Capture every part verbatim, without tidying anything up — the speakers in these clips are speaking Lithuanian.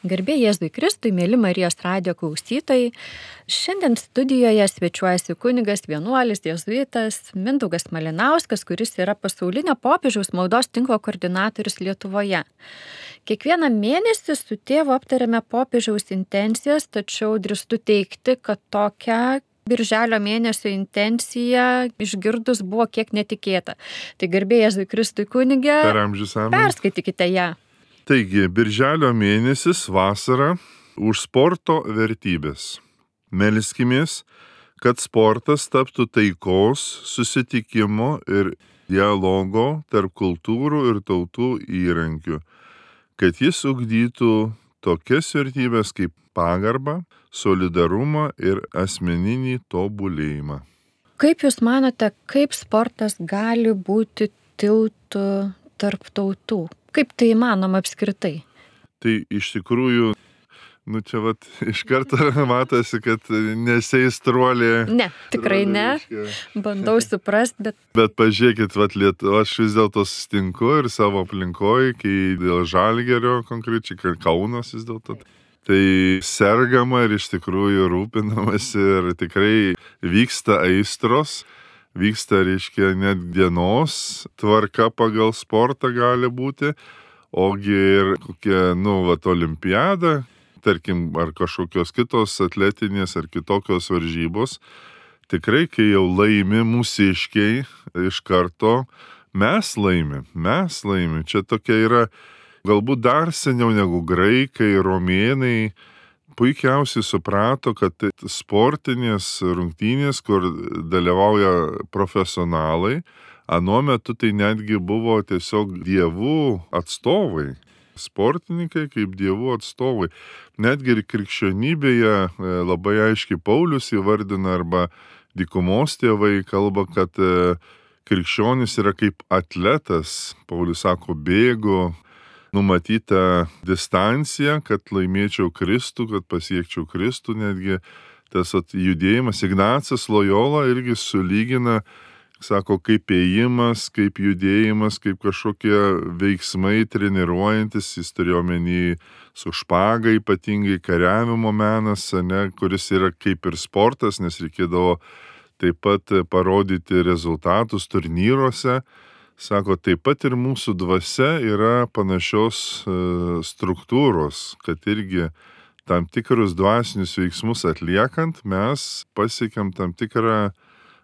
Garbė Jėzui Kristui, mėly Marijos radijo klausytojai. Šiandien studijoje svečiuojasi kunigas vienuolis jėzuitas Mindaugas Malinauskas, kuris yra pasaulinio popiežiaus maldos tinklo koordinatorius Lietuvoje. Kiekvieną mėnesį su tėvu aptariame popiežiaus intencijas, tačiau drįstu teigti, kad tokia Birželio mėnesio intencija išgirdus buvo kiek netikėta. Tai garbė Jėzui Kristui kunige, perskaitykite ją. Taigi, Birželio mėnesis vasara už sporto vertybės. Melskimės, kad sportas taptų taikos, susitikimo ir dialogo tarp kultūrų ir tautų įrankių, kad jis ugdytų tokias vertybės kaip pagarbą, solidarumą ir asmeninį tobulėjimą. Kaip Jūs manote, kaip sportas gali būti tiltu tarp tautų? Kaip tai įmanoma apskritai? Tai iš tikrųjų, nu čia vat iš karto matosi, kad neseistruolė. Ne, tikrai ne. Bandau suprast, bet... Bet pažiūrėkit, vat Lietuva, aš vis dėlto sustinku ir savo aplinkoje, kai dėl Žalgirio konkrečiai, kai Kaunas vis dėlto. Tai sergama ir iš tikrųjų rūpinamasi ir tikrai vyksta aistros. Vyksta, reiškia, net dienos tvarka pagal sportą gali būti, ogi ir kokia, nu, vat, olimpiada, tarkim, ar kažkokios kitos atletinės ar kitokios varžybos. Tikrai, kai jau laimi mūsiškiai, iš karto mes laimim, mes laimim. Čia tokia yra, galbūt dar seniau negu graikai, romėnai, puikiausiai suprato, kad sportinės rungtynės, kur dalyvauja profesionalai, anuo metu tai netgi buvo tiesiog dievų atstovai. Sportininkai kaip dievų atstovai. Netgi ir krikščionybėje labai aiškiai Paulius įvardina arba dykumos tėvai kalba, kad krikščionis yra kaip atletas. Paulius sako, bėgu numatytą distanciją, kad laimėčiau Kristų, kad pasiekčiau Kristų, netgi tas at, judėjimas. Ignacas Lojola irgi sulygina, sako, kaip ėjimas, kaip judėjimas, kaip kažkokie veiksmai treniruojantis, jis turėjo omeny su špaga, ypatingai kariavimo menas, ne, kuris yra kaip ir sportas, nes reikėdavo taip pat parodyti rezultatus turnyruose. Sako, taip pat ir mūsų dvasia yra panašios e, struktūros, kad irgi tam tikrus dvasinius veiksmus atliekant, mes pasiekiam tam tikrą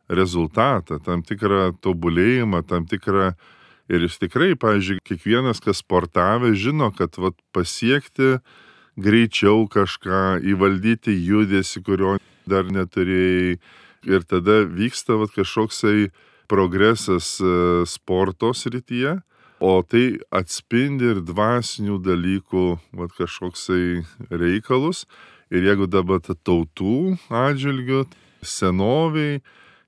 rezultatą, tam tikrą tobulėjimą, tam tikrą... Ir jis tikrai, pavyzdžiui, kiekvienas, kas sportavė, žino, kad vat, pasiekti greičiau kažką, įvaldyti judesį, kurio dar neturėjai. Ir tada vyksta vat, kažkoksai progresas sporto srityje, o tai atspindi ir dvasinių dalykų vat, kažkoksai reikalus. Ir jeigu dabar tautų atžvilgiu, senoviai,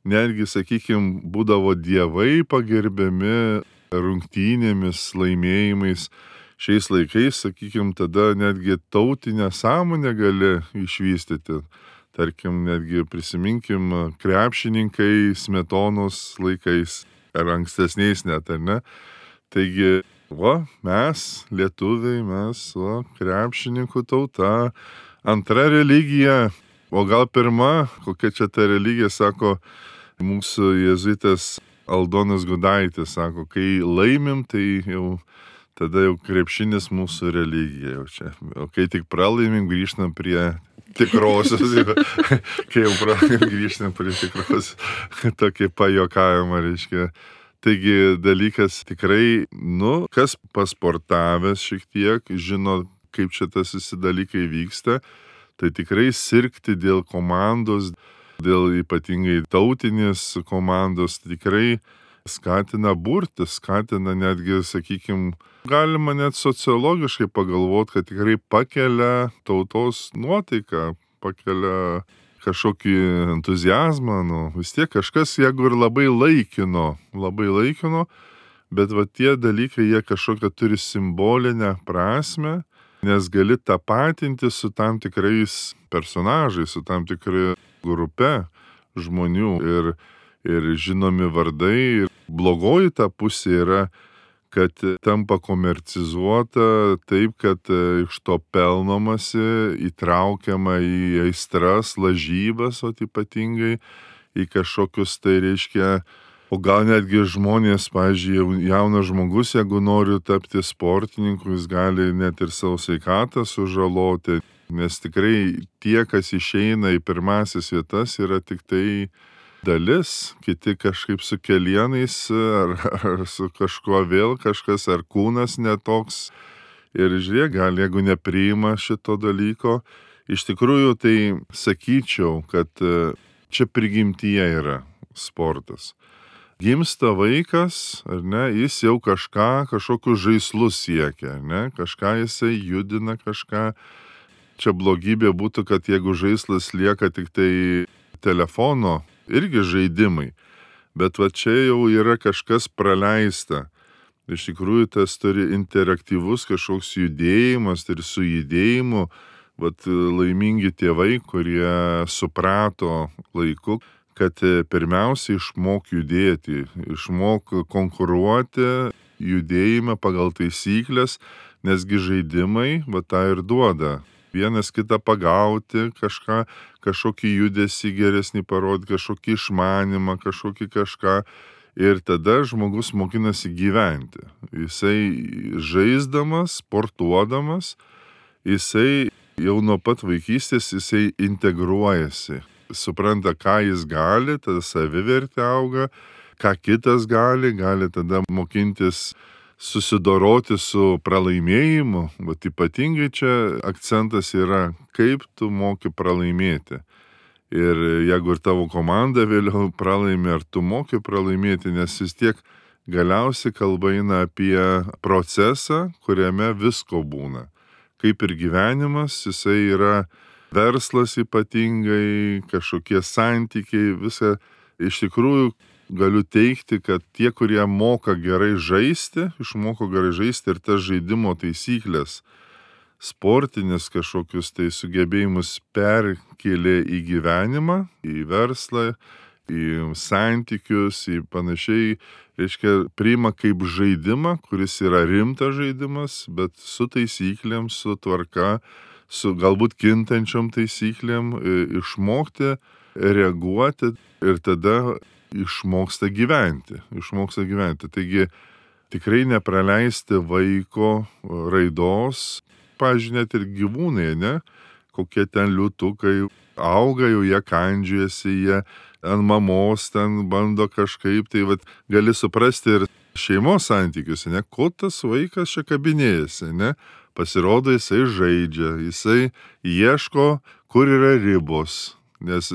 netgi, sakykime, būdavo dievai pagerbiami rungtynėmis, laimėjimais. Šiais laikais, sakykime, tada netgi tautinę sąmonę gali išvystyti. Tarkim, netgi prisiminkim krepšininkai Smetonos laikais, ar ankstesniais net, ar ne? Taigi, va, mes, lietuviai, mes, va, krepšininkų tauta, antra religija, o gal pirma, kokia čia ta religija, sako mūsų jėzuitas Aldonas Gudaitis, sako, kai laimim, tai jau, tada jau krepšinis mūsų religija jau čia. O kai tik pralaimim, grįžtam prie tikrosios, kai jau praėjom grįžtam prie tikros, tokį pajokavimą, reiškia. Taigi dalykas tikrai, nu, kas pasportavęs šiek tiek, žino, kaip čia tas visi dalykai vyksta, tai tikrai sirgti dėl komandos, dėl ypatingai tautinės komandos, tikrai skatina burti, skatina netgi, sakykime, galima net sociologiškai pagalvoti, kad tikrai pakelia tautos nuotaiką, pakelia kažkokį entuziazmą, nu, vis tiek kažkas, jeigu ir labai laikino, labai laikino, bet va tie dalykai, jie kažkokią turi simbolinę prasme, nes gali tapatinti su tam tikrais personažais, su tam tikrai grupe žmonių ir, ir žinomi vardai. Ir blogoji ta pusė yra, kad tampa komercizuota taip, kad iš to pelnomasi, įtraukiama į aistras, lažybas, o ypatingai į kažkokius, tai reiškia, o gal netgi žmonės, pavyzdžiui, jaunas žmogus, jeigu nori tapti sportininku, jis gali net ir savo sveikatą sužaloti, nes tikrai tie, kas išeina į pirmasis vietas, yra tik tai dalis, kiti kažkaip su kelienais ar, ar su kažkuo vėl kažkas, ar kūnas netoks. Ir žiūrėk, gal jeigu nepriima šito dalyko, iš tikrųjų tai sakyčiau, kad čia prigimtyje yra sportas. Gimsta vaikas, ar ne, jis jau kažką, kažkokius žaislus siekia, ar ne, kažką jisai judina, kažką. Čia blogybė būtų, kad jeigu žaislas lieka tik tai telefono, irgi žaidimai, bet va čia jau yra kažkas praleista. Iš tikrųjų, tas turi interaktyvus kažkoks judėjimas ir su judėjimu, vat laimingi tėvai, kurie suprato laiku, kad pirmiausia išmok judėti, išmok konkuruoti judėjime pagal taisyklės, nesgi žaidimai va tą ir duoda. Vienas kitą pagauti, kažką, kažkokį judesį geresnį parodyti, kažkokį išmanimą, kažkokį kažką. Ir tada žmogus mokinasi gyventi. Jisai žaisdamas, sportuodamas, jisai jau nuo pat vaikystės jisai integruojasi. Supranta, ką jis gali, tada savivertė auga, ką kitas gali, gali tada mokintis susidoroti su pralaimėjimu, bet ypatingai čia akcentas yra, kaip tu moki pralaimėti. Ir jeigu ir tavo komanda vėliau pralaimė, ar tu moki pralaimėti, nes vis tiek galiausiai kalba eina apie procesą, kuriame visko būna. Kaip ir gyvenimas, jisai yra verslas ypatingai, kažkokie santykiai, visa. Iš tikrųjų, galiu teigti, kad tie, kurie moka gerai žaisti, išmoko gerai žaisti ir tas žaidimo taisyklės, sportinis kažkokius tai sugebėjimus perkėlė į gyvenimą, į verslą, į santykius, į panašiai, reiškia, priima kaip žaidimą, kuris yra rimtas žaidimas, bet su taisyklėm, su tvarka, su galbūt kintančiom taisyklėm, išmokti reaguoti ir tada išmoksta gyventi, išmoksta gyventi. Taigi tikrai nepraleisti vaiko raidos, pavyzdžiui, net ir gyvūnai, ne, kokie ten liūtukai auga, jau jie kandžiasi, jie ant mamos ten bando kažkaip, tai vat, gali suprasti ir šeimos santykius, ne, ko tas vaikas čia kabinėjasi, ne, pasirodo jisai žaidžia, jisai ieško, kur yra ribos. Nes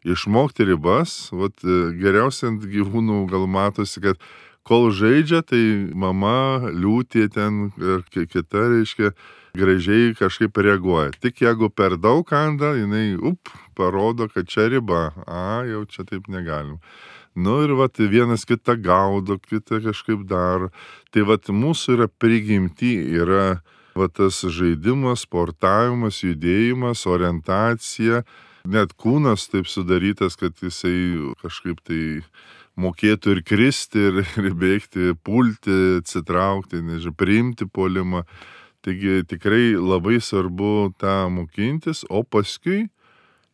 išmokti ribas, vat, geriausiai ant gyvūnų gal matosi, kad kol žaidžia, tai mama liūtė ten ir kita, reiškia, gražiai kažkaip reaguoja. Tik jeigu per daug kanda, jinai, up, parodo, kad čia riba, a, jau čia taip negalim. Nu ir vat, vienas kitą gaudo, kitą kažkaip daro. Tai vat, mūsų yra prigimti, yra vat, tas žaidimas, sportavimas, judėjimas, orientacija. Net kūnas taip sudarytas, kad jisai kažkaip tai mokėtų ir kristi, ir, ir bėgti, pulti, atsitraukti, nežinau, priimti puolimą. Taigi tikrai labai svarbu tą mokintis, o paskui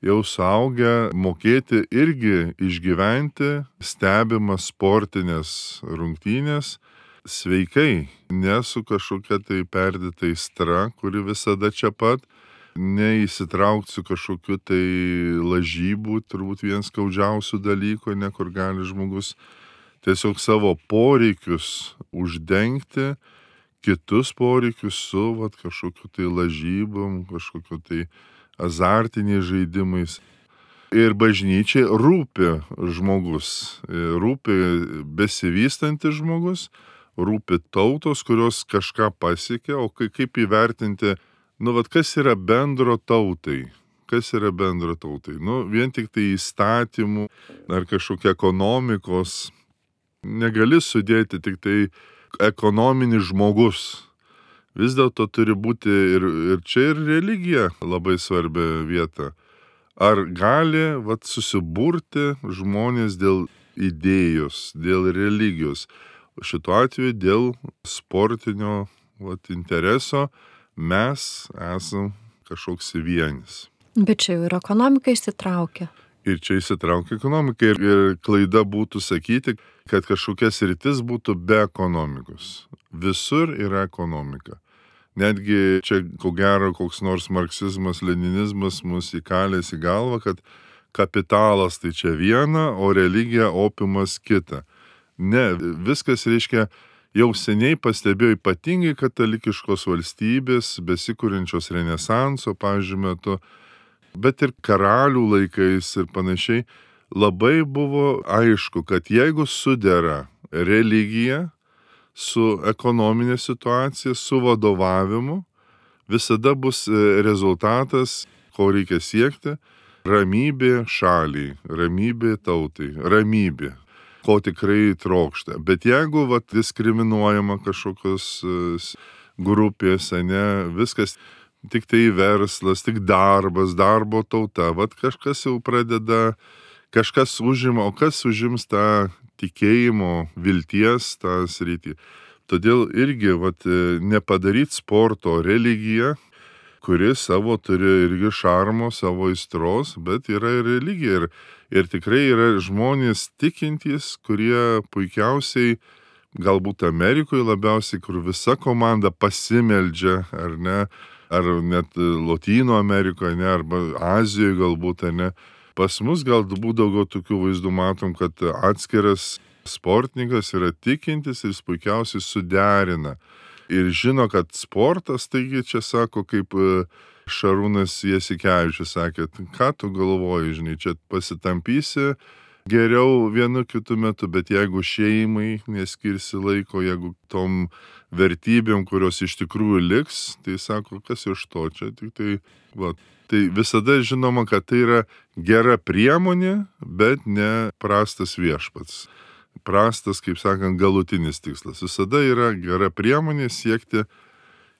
jau suaugę mokėti irgi išgyventi stebimas sportinės rungtynės sveikai, ne su kažkokia tai perdėta aistra, kuri visada čia pat, neįsitraukti su kažkokiu tai lažybų, turbūt vienas skaudžiausių dalykų, ne, kur gali žmogus tiesiog savo poreikius uždengti, kitus poreikius su vat, kažkokiu tai lažybom, kažkokiu tai azartiniais žaidimais. Ir bažnyčiai rūpi žmogus, rūpi besivystantis žmogus, rūpi tautos, kurios kažką pasiekė, o kaip įvertinti, nu, vat, kas yra bendro tautai? Kas yra bendro tautai? Nu, vien tik tai įstatymų ar kažkokia ekonomikos negali sudėti tik tai ekonominis žmogus. Vis dėlto turi būti ir, ir čia ir religija labai svarbia vieta. Ar gali vat, susiburti žmonės dėl idėjos, dėl religijos? šituo atveju dėl sportinio vat, intereso mes esam kažkoks vienis. Bet čia jau ir ekonomika įsitraukia. Ir čia įsitraukia ekonomika ir, ir klaida būtų sakyti, kad kažkokia sritis būtų be ekonomikos. Visur yra ekonomika. Netgi čia, ko gero, koks nors marksizmas, leninizmas mus įkalės į galvą, kad kapitalas tai čia viena, o religija opiumas kita. Ne, viskas reiškia, jau seniai pastebėjo ypatingai katalikiškos valstybės, besikūrinčios renesanso, pavyzdžiui, metu, bet ir karalių laikais ir panašiai, labai buvo aišku, kad jeigu sudera religija su ekonominė situacija, su vadovavimu, visada bus rezultatas, ko reikia siekti, ramybė šaliai, ramybė tautai, ramybė, ko tikrai trokšta. Bet jeigu vat, diskriminuojama kažkokios grupės, ne, viskas tik tai verslas, tik darbas, darbo tauta, vat kažkas jau pradeda, kažkas užima, o kas užims tą tikėjimo, vilties tą sritį. Todėl irgi vat, nepadaryti sporto religiją, kuri savo turi irgi šarmo, savo aistros, bet yra ir religija. Ir, ir tikrai yra žmonės tikintys, kurie puikiausiai, galbūt Amerikoje labiausiai, kur visa komanda pasimeldžia, ar ne, ar net Lotynų Amerikoje, ne, arba Azijoje galbūt, ar ne. Pas mus galbūt daugiau tokių vaizdų matom, kad atskiras sportininkas yra tikintis ir jis puikiausiai suderina. Ir žino, kad sportas, taigi čia sako, kaip Šarūnas Jasikevičius sakė, ką tu galvoji, žinai, čia pasitampysi geriau vienu kitu metu, bet jeigu šeimai neskirsi laiko, jeigu tom vertybėm, kurios iš tikrųjų liks, tai sako, kas iš to čia, tik tai, va. Tai visada žinoma, kad tai yra gera priemonė, bet ne prastas viešpats. Prastas, kaip sakant, galutinis tikslas. Visada yra gera priemonė siekti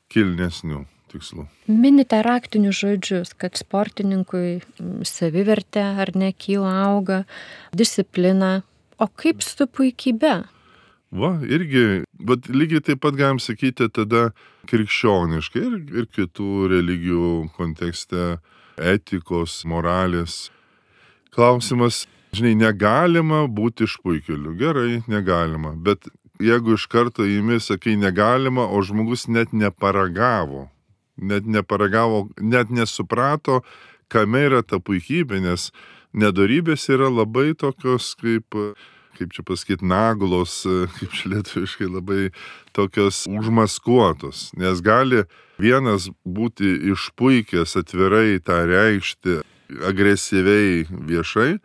kilnesnių tikslų. Minite raktinius žodžius, kad sportininkui savivertė ar ne kyla auga, disciplina. O kaip su puikybė? Va, irgi, bet lygiai taip pat galim sakyti tada krikščioniškai ir, ir kitų religijų kontekste, etikos, moralės. Klausimas, žinai, negalima būti išpuikėliu. Gerai, negalima. Bet jeigu iš karto įimi sakai negalima, o žmogus net neparagavo, net neparagavo, net nesuprato, kame yra ta puikybė, nes nedorybės yra labai tokios kaip... kaip čia pasakyti, naglos, kaip čia lietuviškai, labai tokios užmaskuotos. Nes gali vienas būti išpuikęs atvirai tą reikšti agresyviai viešai,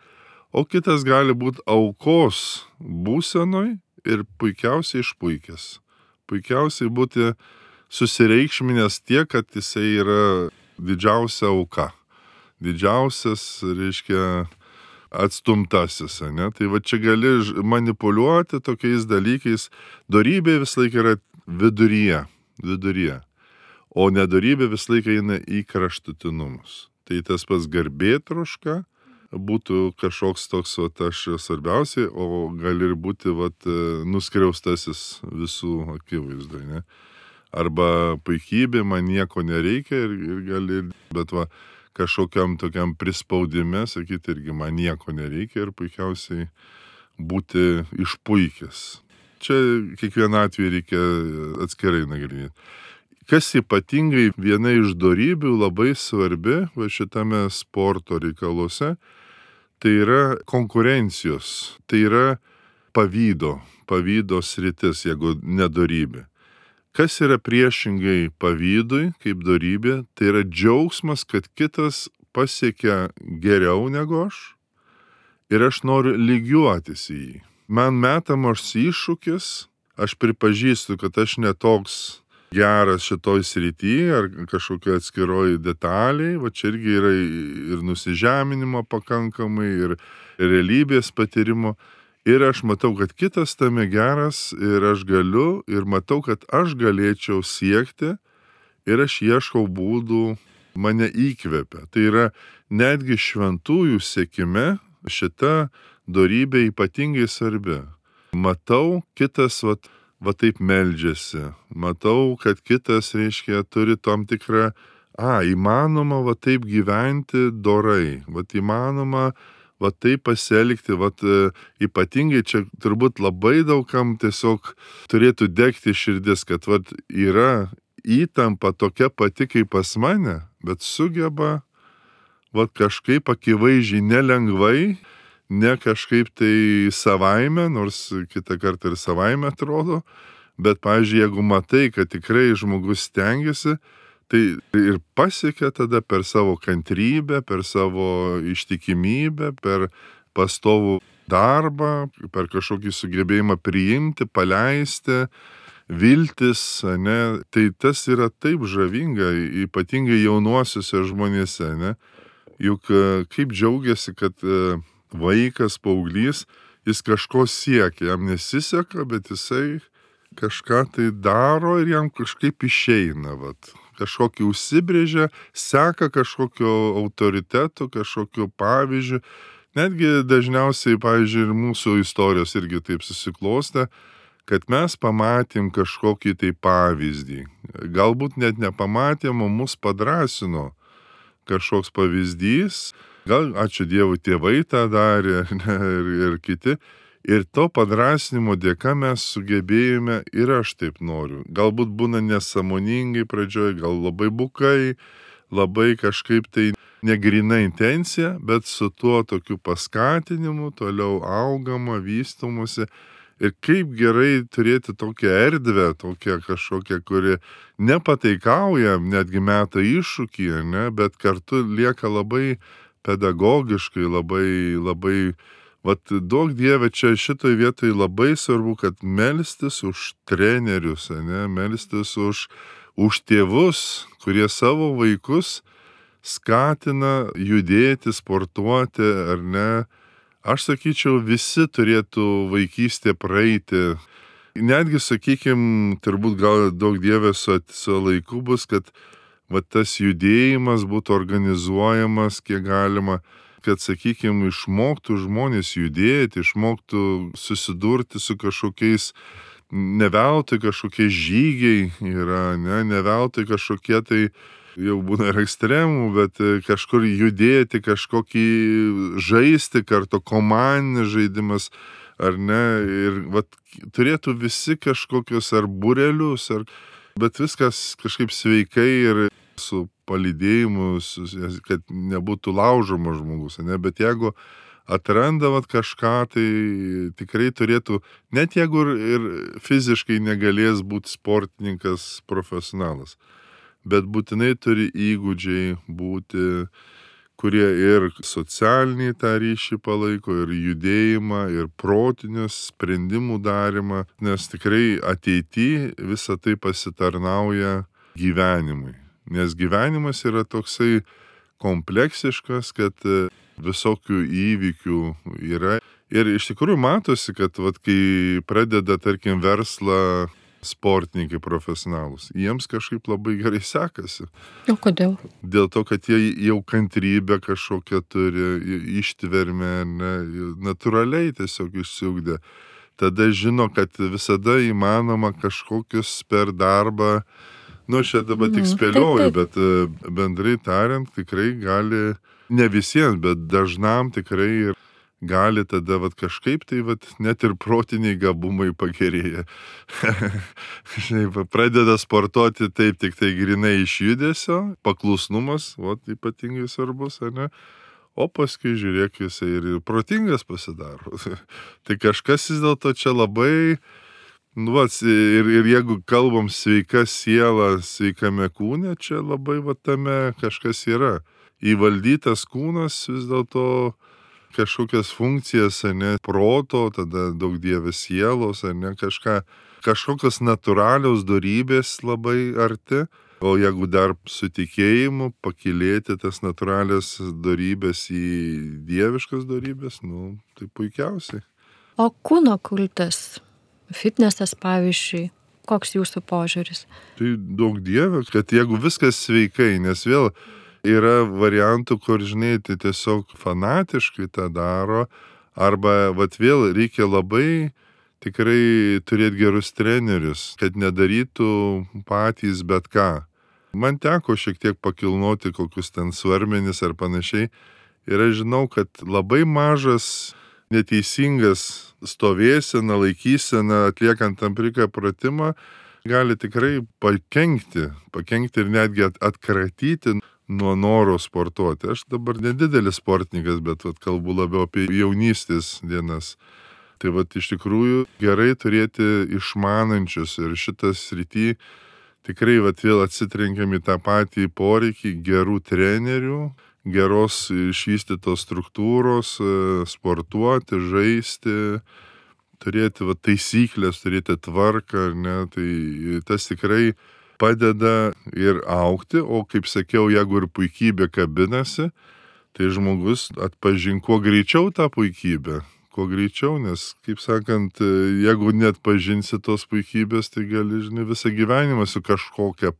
o kitas gali būti aukos būsenoj ir puikiausiai išpuikęs. Puikiausiai būti susireikšminęs tiek, kad jisai yra didžiausia auka. Didžiausias, reiškia, atstumtasis, ne? Tai va čia gali manipuliuoti tokiais dalykais. Dorybė vis laik yra viduryje, viduryje. O nedorybė vis laik eina į kraštutinumus. Tai tas pats garbėtroška būtų kažkoks toks, va, aš svarbiausiai, o gali ir būti, va, nuskriaustasis visų akivaizdai, ne? Arba puikybė, man nieko nereikia ir, ir gali, bet va, kažkokiam tokiam prispaudime, sakyti, irgi man nieko nereikia ir puikiausiai būti išpuikęs. Čia kiekvieną atveju reikia atskirai nagrinėti. Kas ypatingai viena iš dorybių labai svarbi va šitame sporto reikaluose, tai yra konkurencijos, tai yra pavydo, pavydo sritis, jeigu nedorybė. Kas yra priešingai pavydui, kaip dorybė, tai yra džiaugsmas, kad kitas pasiekia geriau negu aš ir aš noriu lygiuotis į jį. Man metamas iššūkis, aš pripažįstu, kad aš netoks geras šitoj srityje ar kažkokia atskiroj detaliai, va čia irgi yra ir nusižeminimo pakankamai, ir realybės patyrimo. Ir aš matau, kad kitas tame geras ir aš galiu, ir matau, kad aš galėčiau siekti ir aš ieškau būdų, mane įkvepia. Tai yra netgi šventųjų siekime šita dorybė ypatingai svarbi. matau, kitas vat, va taip meldžiasi, matau, kad kitas, reiškia, turi tam tikrą, a, įmanoma va taip gyventi dorai, va įmanoma va taip pasielgti, va ypatingai čia turbūt labai daugam tiesiog turėtų degti širdis, kad va yra įtampa tokia pati kaip pas mane, bet sugeba va kažkaip akivaizdžiai nelengvai, ne kažkaip tai savaime, nors kitą kartą ir savaime atrodo, bet, pavyzdžiui, jeigu matai, kad tikrai žmogus stengiasi, tai ir pasiekia tada per savo kantrybę, per savo ištikimybę, per pastovų darbą, per kažkokį sugebėjimą priimti, paleisti, viltis, ne, tai tas yra taip žavinga, ypatingai jaunuosiuose žmonėse, ne, juk kaip džiaugiasi, kad vaikas, paauglys, jis kažko siekia, jam nesiseka, bet jisai kažką tai daro ir jam kažkaip išeina, vat. Kažkokį užsibrėžia, seka kažkokio autoriteto, kažkokio pavyzdžių. Netgi dažniausiai, pavyzdžiui, ir mūsų istorijos irgi taip susiklostė, kad mes pamatėm kažkokį tai pavyzdį. Galbūt net nepamatėm, o mus padrasino kažkoks pavyzdys. Gal, ačiū Dievui, tėvai tą darė, ne, ir, ir kiti. Ir to padrasnimo dėka mes sugebėjome ir aš taip noriu. Galbūt būna nesąmoningai pradžioje, gal labai bukai, labai kažkaip tai negrina intencija, bet su tuo tokiu paskatinimu toliau augama, vystomusi. Ir kaip gerai turėti tokią erdvę, tokią kažkokią, kuri nepataikauja, netgi meta iššūkį, ne, bet kartu lieka labai pedagogiškai, labai, labai vat duok Dieve, čia šitoj vietoj labai svarbu, kad melstis už trenerius, ne, melstis už, už tėvus, kurie savo vaikus skatina judėti, sportuoti, ar ne. Aš sakyčiau, visi turėtų vaikystę praeiti. Netgi, sakykim, turbūt gal duok Dieve su, su laiku bus, kad va, tas judėjimas būtų organizuojamas kiek galima, kad, sakykime, išmoktų žmonės judėti, išmoktų susidurti su kažkokiais, ne veltui kažkokie žygiai yra, ne, ne veltui kažkokie tai jau būna ir ekstremų, bet kažkur judėti, kažkokį žaisti kartu, komandinis žaidimas, ar ne, ir vat, turėtų visi kažkokius ar būrelius, ar, bet viskas kažkaip sveikai ir su palydėjimu, kad nebūtų laužomas žmogus, ne? Bet jeigu atrandavat kažką, tai tikrai turėtų, net jeigu ir fiziškai negalės būti sportininkas profesionalas, bet būtinai turi įgūdžiai būti, kurie ir socialinį tą ryšį palaiko, ir judėjimą, ir protinius sprendimų darimą, nes tikrai ateity visą tai pasitarnauja gyvenimui. Nes gyvenimas yra toksai kompleksiškas, kad visokių įvykių yra. Ir iš tikrųjų matosi, kad vat, kai pradeda, tarkim, verslą sportininkai profesionalus, jiems kažkaip labai gerai sekasi. O kodėl? Dėl to, kad jie jau kantrybę kažkokią turi, ištvermę, ne, natūraliai tiesiog išsiugdė. Tada žino, kad visada įmanoma kažkokius per darbą. Nu, aš čia dabar tik spėlioju, bet bendrai tariant, tikrai gali, ne visiems, bet dažnam tikrai gali tada vat, kažkaip tai vat, net ir protiniai gabumai pagerėja. Pradeda sportuoti taip tik tai grinai iš judesio, paklusnumas, vat, ypatingai svarbus, ar ne? O paskui žiūrėk, jisai ir, ir protingas pasidaro. Tai kažkas vis dėlto čia labai... Nu, va, ir, ir jeigu kalbam sveika siela, sveikame kūne, čia labai va tame kažkas yra. Įvaldytas kūnas vis dėlto kažkokias funkcijas, ne, proto, tada daug Dieve sielos, ne, kažką, kažkokios natūralios dorybės labai arti. O jeigu dar su tikėjimu pakilėti tas natūralias dorybės į dieviškas dorybės, nu, tai puikiausiai. O kūno kultas? Fitnesas, pavyzdžiui, koks jūsų požiūris? Tai daug Dieve, kad jeigu viskas sveikai, nes vėl yra variantų, kur, žinai, tai tiesiog fanatiškai tą daro, arba, vat vėl reikia labai tikrai turėti gerus trenerius, kad nedarytų patys bet ką. Man teko šiek tiek pakilnoti kokius ten svarmenis ar panašiai ir aš žinau, kad labai mažas neteisingas stovėsena, laikysena, atliekant tam tikrą pratimą, gali tikrai pakenkti, pakenkti ir netgi atkratyti nuo noro sportuoti. Aš dabar nedidelis sportininkas, bet vat, kalbu labiau apie jaunystės dienas. Tai vat, iš tikrųjų gerai turėti išmanančius ir šitas srity tikrai vat, vėl atsitrenkiam į tą patį poreikį gerų trenerių, geros išvystytos struktūros, sportuoti, žaisti, turėti vat, taisyklės, turėti tvarką, ne, tai tas tikrai padeda ir augti, o kaip sakiau, jeigu ir puikybė kabinasi, tai žmogus atpažin kuo greičiau tą puikybę, kuo greičiau, nes, kaip sakant, jeigu net pažinsi tos puikybės, tai gali, žinai, visą gyvenimą su kažkokia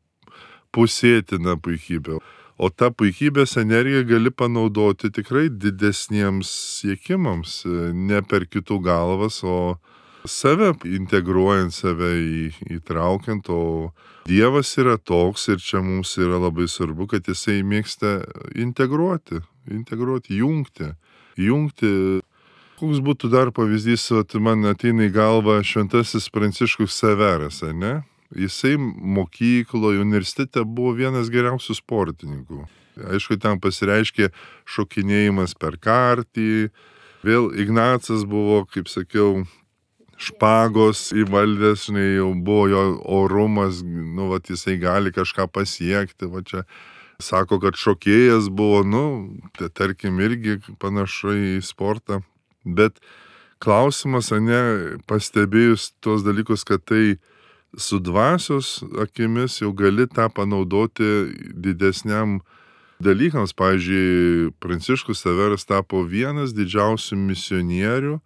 pusėtina puikybė. O tą puikybės energiją gali panaudoti tikrai didesniems siekimams, ne per kitų galvas, o save integruojant, save į, įtraukiant, o Dievas yra toks ir čia mums yra labai svarbu, kad jisai mėgsta integruoti, integruoti, jungti, jungti. Koks būtų dar pavyzdys, at man ateina į galvą šventasis Pranciškus Ksaveras, ne? Jisai mokykloje, universitete buvo vienas geriausių sportininkų. Aišku, ten pasireiškė šokinėjimas per kartį. Vėl Ignacas buvo, kaip sakiau, špagos įvaldęs, žinai, jau buvo jo orumas, nu, vat, jisai gali kažką pasiekti, va čia. Sako, kad šokėjas buvo, nu, tai tarkim, irgi panašu į sportą. Bet klausimas, ne, pastebėjus tuos dalykus, kad tai su dvasios akimis jau gali tą panaudoti didesniam dalykams. Pavyzdžiui, Pranciškus Ksaveras tapo vienas didžiausių misionierių,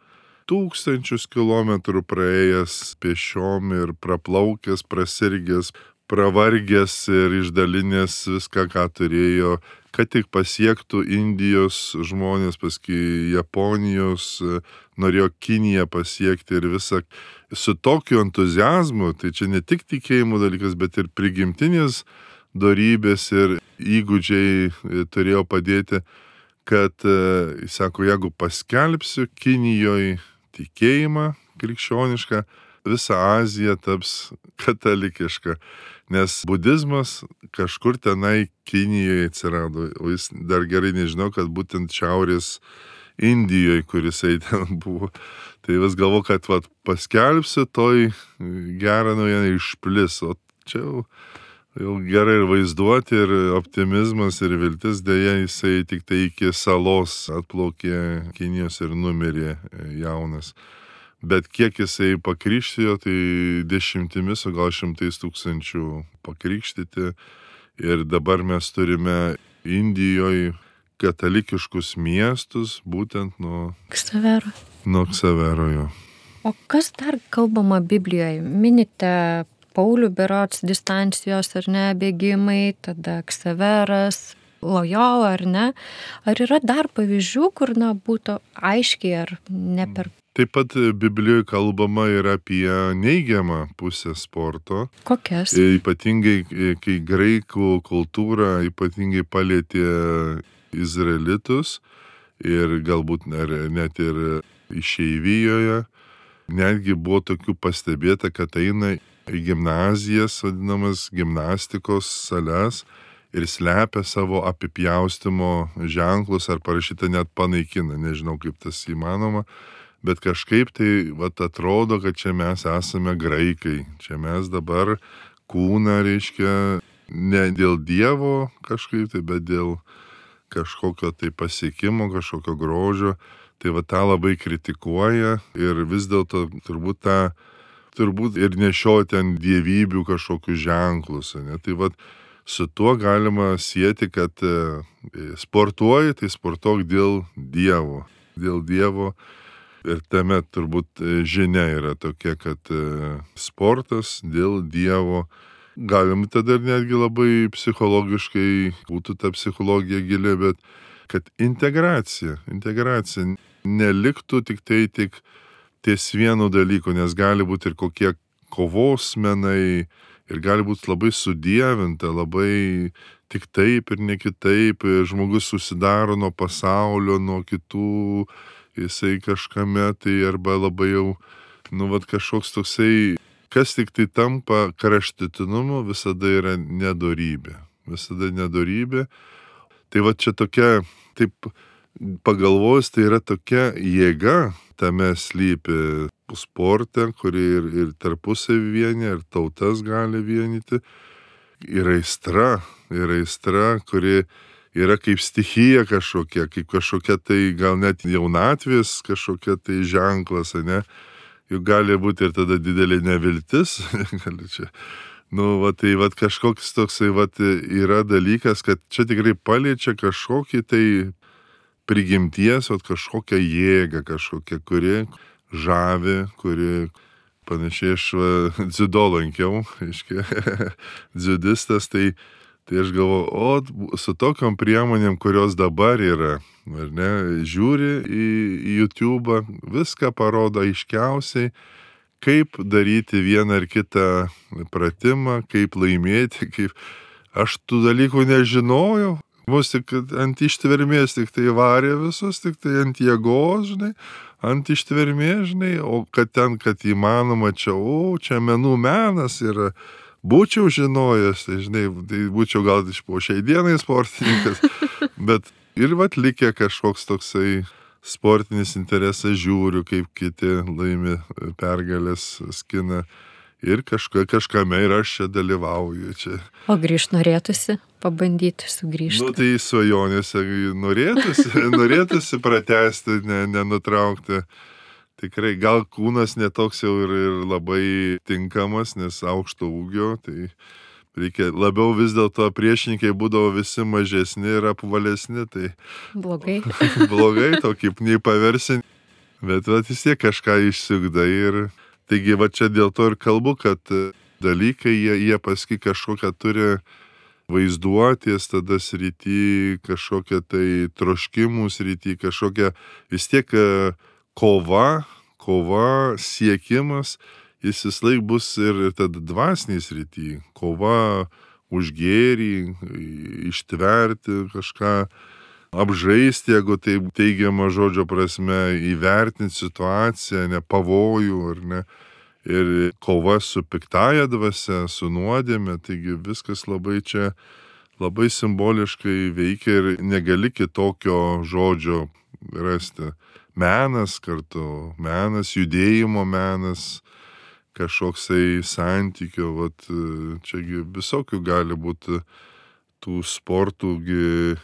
tūkstančius kilometrų praėjęs pešiom ir praplaukęs, prasirgęs, pravargęs ir išdalinęs viską, ką turėjo, kad tik pasiektų Indijos žmonės, paskui Japonijos, norėjo Kiniją pasiekti ir visą su tokiu entuzijazmu. Tai čia ne tik tikėjimo dalykas, bet ir prigimtinės dorybės ir įgūdžiai turėjo padėti, kad, jis sako, jeigu paskelbsiu Kinijoje tikėjimą krikščionišką, visa Azija taps katalikiška, nes budizmas kažkur tenai Kinijoje atsirado, o jis dar gerai nežinau, kad būtent šiaurės Indijoje, kurisai ten buvo. Tai vis galvo, kad vat, paskelbsiu, toj gerą naujieną išplis, o čia jau, jau gerai ir vaizduoti, ir optimizmas, ir viltis, dėja jisai tik tai iki salos atplaukė Kinijos ir numirė jaunas. Bet kiek jisai pakrikštijo, tai dešimtimis, o gal šimtais tūkstančių pakrikštyti. Ir dabar mes turime Indijoje katalikiškus miestus, būtent nuo Ksavero. Nuo Ksavero jo. O kas dar kalbama Biblijoje? Minite Paulių berods distancijos ar ne, bėgimai, tada Ksaveras, Lojola ar ne. Ar yra dar pavyzdžių, kur na, būtų aiškiai ar ne per... Taip pat Biblijoje kalbama ir apie neigiamą pusę sporto. Kokias? Ypatingai, kai graikų kultūra ypatingai palietė izraelitus ir galbūt net ir išeivijoje. Netgi buvo tokių pastebėta, kad eina į gimnazijas, vadinamas gimnastikos sales ir slepia savo apipjaustimo ženklus ar parašyta net panaikina. Nežinau, kaip tas įmanoma. Bet kažkaip tai vat, atrodo, kad čia mes esame graikai. Čia mes dabar kūną, reiškia, ne dėl Dievo kažkaip tai, bet dėl kažkokio tai pasiekimo, kažkokio grožio. Tai va tą labai kritikuoja ir vis dėlto turbūt tą, turbūt ir nešioja ten dievybių kažkokius ženklus. Ne? Tai va su tuo galima sieti, kad sportuoji, tai sportuok dėl Dievo. Dėl Dievo. Ir tame turbūt žinia yra tokia, kad sportas dėl Dievo. Galim tada netgi labai psichologiškai, būtų ta psichologija gili, bet kad integracija, integracija neliktų tik tai tik ties vienu dalyku, nes gali būti ir kokie kovos menai, ir gali būti labai sudievinta, labai tik taip ir ne kitaip, žmogus susidaro nuo pasaulio, nuo kitų, jisai kažkame tai arba labai jau, nu, vat kažkoks toksai, kas tik tai tampa kraštutinumu, visada yra nedorybė. Visada nedorybė. Tai va čia tokia, taip pagalvojus, tai yra tokia jėga tame slypi sporte, kuri ir, ir tarpusavį vienyje, ir tautas gali vienyti. Ir aistra, ir aistra, kuri yra kaip stichija kažkokia, kaip kažkokia tai gal net jaunatvės kažkokia tai ženklas, ne? Juk gali būti ir tada didelė neviltis. gali čia. Nu, va, tai va, kažkoks toksai va, yra dalykas, kad čia tikrai paliečia kažkokį tai prigimties, va, kažkokią jėgą, kažkokią, kuri žavi, kuri panašiai aš dziudo lankiau, aiškiai, dziudistas, tai, tai aš galvoju, o su tokiom priemonėm, kurios dabar yra, ar ne, žiūri į, į YouTube, viską parodo aiškiausiai, kaip daryti vieną ar kitą pratimą, kaip laimėti, kaip aš tų dalykų nežinojau. Mus tik ant ištvermės tik tai varė visus, tik tai ant jėgos, žinai, ant ištvermės, žinai, o kad ten, kad įmanoma čia, o čia menų menas yra, būčiau žinojęs, tai, žinai, tai būčiau gal iš po šiai dienai sportininkas, bet ir vat likė kažkoks toksai sportinis interesas, žiūriu, kaip kiti laimi pergalės, skina. Ir kažka, kažkame ir aš čia dalyvauju. Čia. O grįžt norėtųsi, pabandyti sugrįžti. Nu, tai svajonėse norėtųsi, norėtųsi pratęsti, ne, nenutraukti. Tikrai, gal kūnas netoks jau ir, ir labai tinkamas, nes aukšto ūgio, tai reikia labiau vis dėlto priešininkai būdavo visi mažesni ir apvalesni, tai blogai. blogai, tokį nei paversi, bet vat, vis tiek kažką išsiugdai ir taigi, va čia dėl to ir kalbu, kad dalykai, jie, jie paskui kažkokią turi vaizduotės, tada srity, kažkokią tai troškimų srity, kažkokią vis tiek kova, kova, siekimas, jis vis laik bus ir tada dvasiniai srity, kova už gėrį, ištverti kažką, apžaisti, jeigu tai teigiama žodžio prasme, įvertinti situaciją, ne pavojų, ar ne, ir kova su piktaja dvasia, su nuodėme, taigi viskas labai čia, labai simboliškai veikia ir negali kitokio žodžio rasti. Menas kartu, menas, judėjimo menas, kažkoksai santykio, vat, čiagi visokių gali būti tų sportų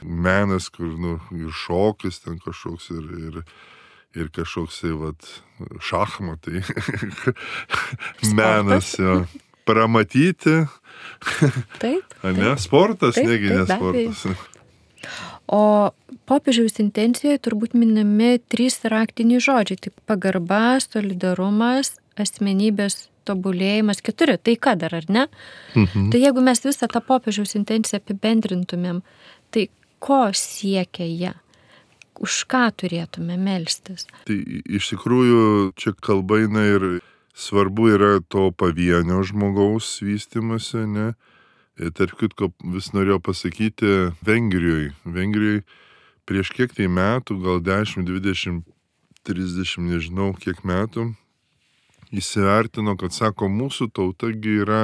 menas, kur, nu, ir šokis ten kažkoks, ir, ir, ir kažkoksai, vat, šachmatai. menas, jo. Pramatyti. Taip. Ne, sportas, taip, negi ne taip, sportas. O popiežiaus intencijoje turbūt minimi trys raktiniai žodžiai. Tai pagarba, solidarumas, asmenybės tobulėjimas, keturi, tai ką dar, ar ne? Mhm. Tai jeigu mes visą tą popiežiaus intenciją apibendrintumėm, tai ko siekia jie? Už ką turėtume melstis? Tai iš tikrųjų čia kalba eina ir svarbu yra to pavienio žmogaus vystymasi, ne? Ir tarp kitko vis norėjau pasakyti Vengrijoje. Vengrijoje prieš kiek tai metų, gal dešimt, dvidešimt, trisdešimt, nežinau kiek metų, įsivertino, kad sako, mūsų tautagi yra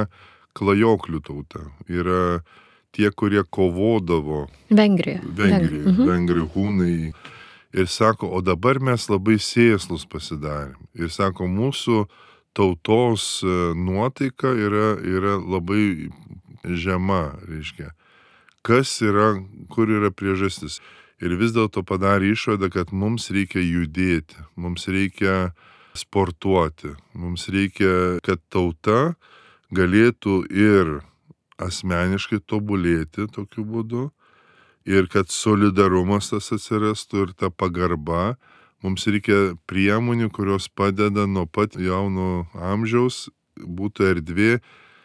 klajoklių tauta. Yra tie, kurie kovodavo. Vengrija. Vengrija, mhm. vengrijų hūnai. Ir sako, o dabar mes labai sėslus pasidarėm. Ir sako, mūsų tautos nuotaika yra, yra labai žema, reiškia. Kas yra, kur yra priežastis. Ir vis dėlto padarė išvadą, kad mums reikia judėti, mums reikia sportuoti. Mums reikia, kad tauta galėtų ir asmeniškai tobulėti tokiu būdu, ir kad solidarumas tas atsirastų ir ta pagarba. Mums reikia priemonių, kurios padeda nuo pat jauno amžiaus, būtų erdvė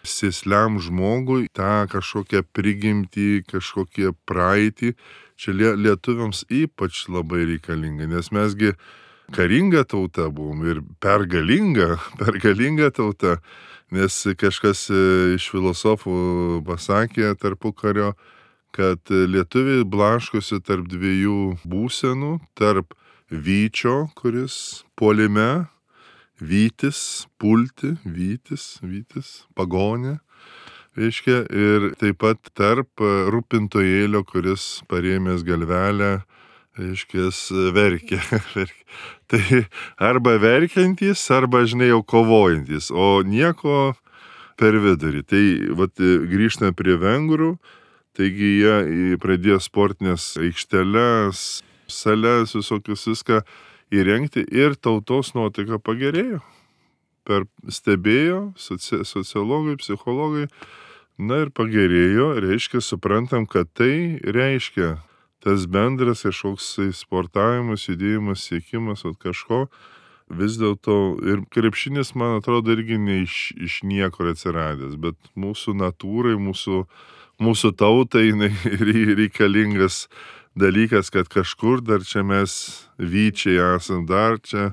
sėsliam žmogui tą kažkokią prigimtį, kažkokią praeitį. Čia lietuviams ypač labai reikalinga, nes mesgi karinga tauta buvom ir pergalinga, pergalinga tauta, nes kažkas iš filosofų pasakė tarpukario, kad lietuviai blaškosi tarp dviejų būsenų, tarp vyčio, kuris puolime, vytis, pulti, vytis, vytis, pagonė, reiškia, ir taip pat tarp rūpintojėlio, kuris parėmęs galvelę, reiškia, verkia. Tai arba verkiantys, arba, žinai, jau kovojantys, o nieko per vidurį. Tai vat, grįžtame prie vengrų, taigi jie pradėjo sportinės aikšteles, sales, visokius viską įrengti ir tautos nuotaika pagerėjo. Per stebėjo soci, sociologai, psichologai, na ir pagerėjo, reiškia, suprantam, kad tai reiškia tas bendras kažkoks sportavimas, judėjimas, siekimas at kažko, vis dėlto ir krepšinis, man atrodo, irgi ne iš, iš niekur atsiradęs, bet mūsų natūrai, mūsų, mūsų tautai reikalingas dalykas, kad kažkur dar čia mes vyčiai esam, dar čia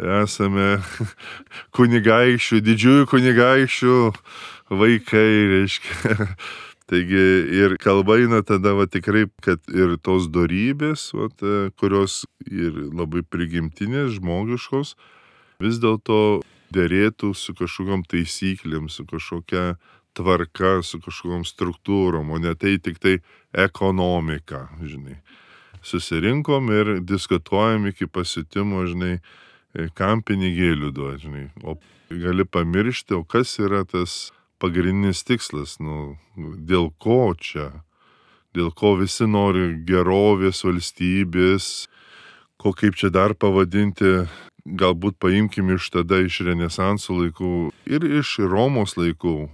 esame kunigaikščių, didžiųjų kunigaikščių vaikai, reiškia. Taigi ir kalba eina tada va, tikrai, kad ir tos dorybės, va, kurios ir labai prigimtinės, žmogiškos, vis dėlto derėtų su kažkokiom taisyklėm, su kažkokia tvarka, su kažkokiom struktūrom, o ne tai tik tai ekonomika, žinai. Susirinkom ir diskutuojam iki pasitimo, žinai, kam pinigėlių duot, žinai. O gali pamiršti, o kas yra tas pagrindinis tikslas, nu, dėl ko čia, dėl ko visi nori gerovės, valstybės, ko kaip čia dar pavadinti, galbūt paimkim iš tada iš Renesanso laikų ir iš Romos laikų,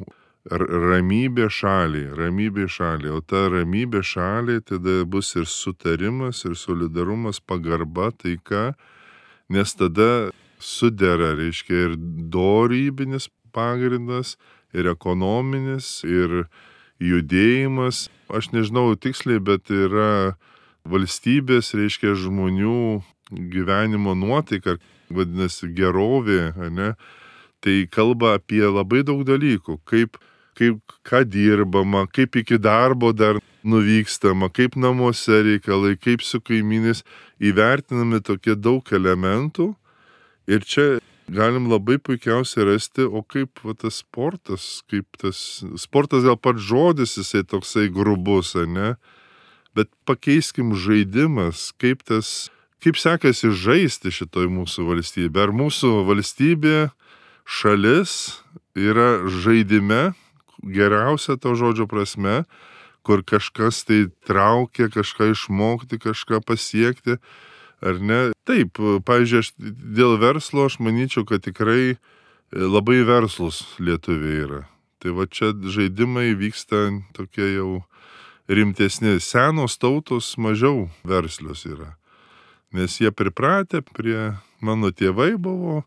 ramybė šaliai, ramybė šaliai, o ta ramybė šaliai tada bus ir sutarimas, ir solidarumas, pagarba, taika, nes tada sudera, reiškia, ir dorybinis pagrindas, ir ekonominis, ir judėjimas. Aš nežinau tiksliai, bet yra valstybės, reiškia, žmonių gyvenimo nuotaika, vadinasi gerovė, ne? Tai kalba apie labai daug dalykų, kaip, kaip ką dirbama, kaip iki darbo dar nuvykstama, kaip namuose reikalai, kaip su kaimynais, įvertinami tokie daug elementų ir čia galim labai puikiausiai rasti, o kaip va, tas sportas, kaip tas sportas gal pats žodis, jisai toksai grubus, ne? Bet pakeiskim žaidimas, kaip tas, kaip sekasi žaisti šitoj mūsų valstybė. Ar mūsų valstybė, šalis yra žaidime, geriausia to žodžio prasme, kur kažkas tai traukia, kažką išmokti, kažką pasiekti, ar ne? Taip, pavyzdžiui, aš dėl verslo aš manyčiau, kad tikrai labai verslus lietuviai yra. Tai va čia žaidimai vyksta tokie jau rimtesni. Senos tautos mažiau verslios yra. Nes jie pripratę prie, mano tėvai buvo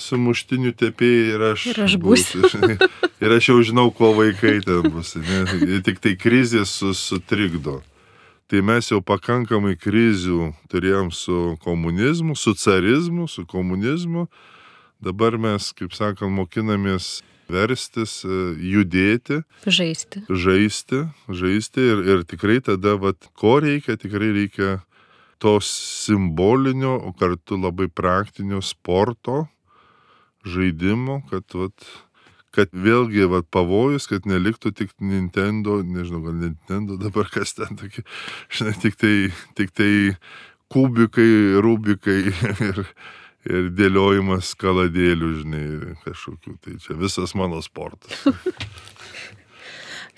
sumuštinių tepėjai ir aš, ir aš būsiu. būsiu. Ir aš jau žinau, ko vaikai ten bus. Ne? Tik tai krizės sutrikdo. Tai mes jau pakankamai krizių turėjom su komunizmu, su carizmu, su komunizmu. Dabar mes, kaip sakant, mokinamės verstis, judėti. Žaisti. Žaisti, žaisti ir, ir tikrai tada, vat, ko reikia, tikrai reikia to simbolinio, o kartu labai praktinio sporto, žaidimo, kad, vat, kad vėlgi vat, pavojus, kad neliktų tik Nintendo, nežinau, gal Nintendo dabar kas ten tokie, žinai, tik tai, tik tai kubikai, rubikai ir, ir dėliojimas kaladėlių, žinai, kažkokių, tai čia visas mano sportas.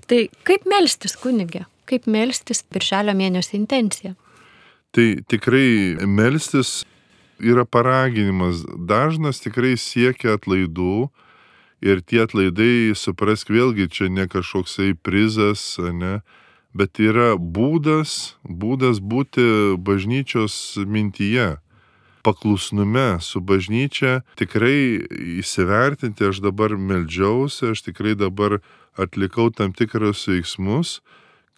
Tai kaip melstis, kunige? Kaip melstis birželio mėnesio intencija? Tai tikrai melstis yra paraginimas. Dažnas tikrai siekia atlaidų ir tie atlaidai, suprask vėlgi, čia ne kažkoksai prizas, ne, bet yra būdas, būdas būti bažnyčios mintyje, paklusnume su bažnyčia, tikrai įsivertinti, aš dabar meldžiausi, aš tikrai dabar atlikau tam tikrus veiksmus,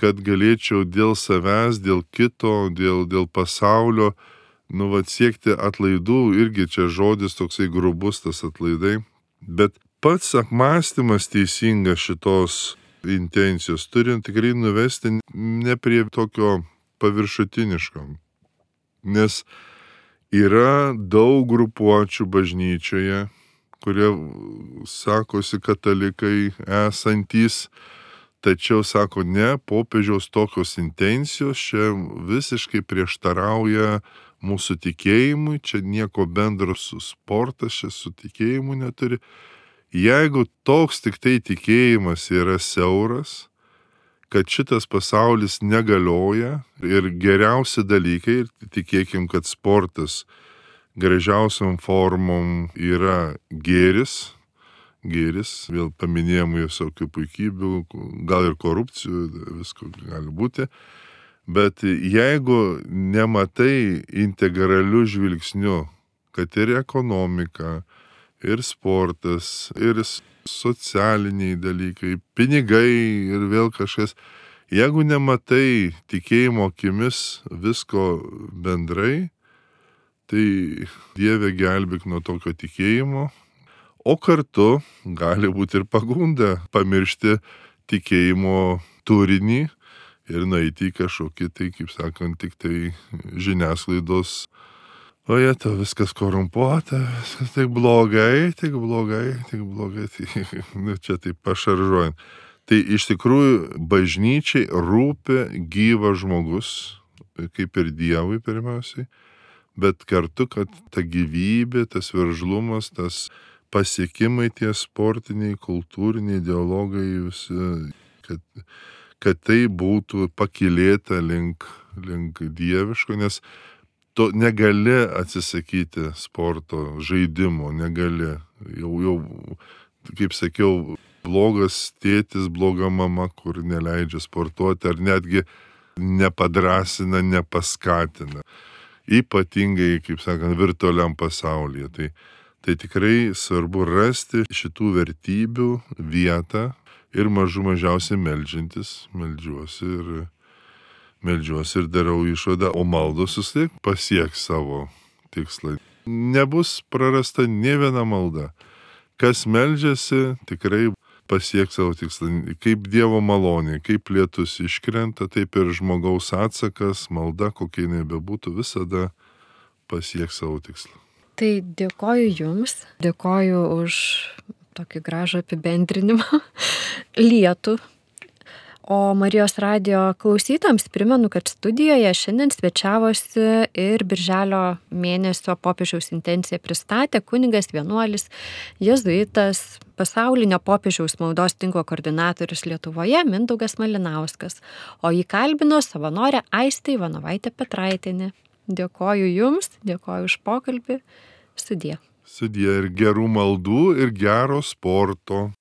kad galėčiau dėl savęs, dėl kito, dėl, dėl pasaulio nu, vat, siekti atlaidų, irgi čia žodis toksai grubus tas atlaidai, bet pats apmąstymas teisingas šitos intencijos turi tikrai nuvesti ne prie tokio paviršutiniško, nes yra daug grupuočių bažnyčioje, kurie sakosi katalikai esantys, tačiau sako, ne, popiežiaus tokios intencijos čia visiškai prieštarauja mūsų tikėjimui, čia nieko bendro su sportas, čia su tikėjimu neturi. Jeigu toks tik tai tikėjimas yra siauras, kad šitas pasaulis negalioja ir geriausi dalykai, ir tikėkim, kad sportas gražiausiam formom yra gėris, gėris, vėl paminėjom visokių puikybių, gal ir korupcijų, visko gali būti, bet jeigu nematai integralių žvilgsnių, kad ir ekonomika, ir sportas, ir socialiniai dalykai, pinigai ir vėl kažkas. Jeigu nematai tikėjimo akimis visko bendrai, tai Dieve gelbėk nuo tokio tikėjimo, o kartu gali būti ir pagunda pamiršti tikėjimo turinį ir nueiti į kažkokį, tai kaip sakant, tik tai žiniasklaidos. O jie, to viskas korumpuota, viskas tik blogai, tik blogai, tik blogai, tai, nu, čia taip pašaržuojant. Tai iš tikrųjų bažnyčiai rūpi gyvas žmogus, kaip ir Dievui pirmiausiai, bet kartu, kad ta gyvybė, tas veržlumas, tas pasiekimai tie sportiniai, kultūriniai, dialogai, visi, kad, kad tai būtų pakilėta link, link dieviško, nes tu negali atsisakyti sporto, žaidimo, negali. Jau, jau, kaip sakiau, blogas tėtis, bloga mama, kur neleidžia sportuoti, ar netgi nepadrasina, nepaskatina. Ypatingai, kaip sakant, virtualiam pasaulyje. Tai, tai tikrai svarbu rasti šitų vertybių vietą ir mažų mažiausiai meldžiantis, meldžiuosi ir Meldžiuosi ir darau išvadą, o maldos vis tiek pasieks savo tikslą. Nebus prarasta nė viena malda. Kas meldžiasi, tikrai pasieks savo tikslą. Kaip Dievo malonė, kaip lietus iškrenta, taip ir žmogaus atsakas, malda, kokia jinai bebūtų, visada pasieks savo tikslą. Tai dėkoju Jums, dėkoju už tokį gražų apibendrinimą lietų. O Marijos radijo klausytojams primenu, kad studijoje šiandien svečiavosi ir birželio mėnesio popiežiaus intenciją pristatė kunigas vienuolis, jėzuitas, pasaulinio popiežiaus maldos tinklo koordinatorius Lietuvoje Mindaugas Malinauskas, o jį kalbino savanorė Aistė Ivanovaitė Petraitienė. Dėkoju Jums, dėkoju už pokalbį. Sudie. Sudie ir gerų maldų ir gero sporto.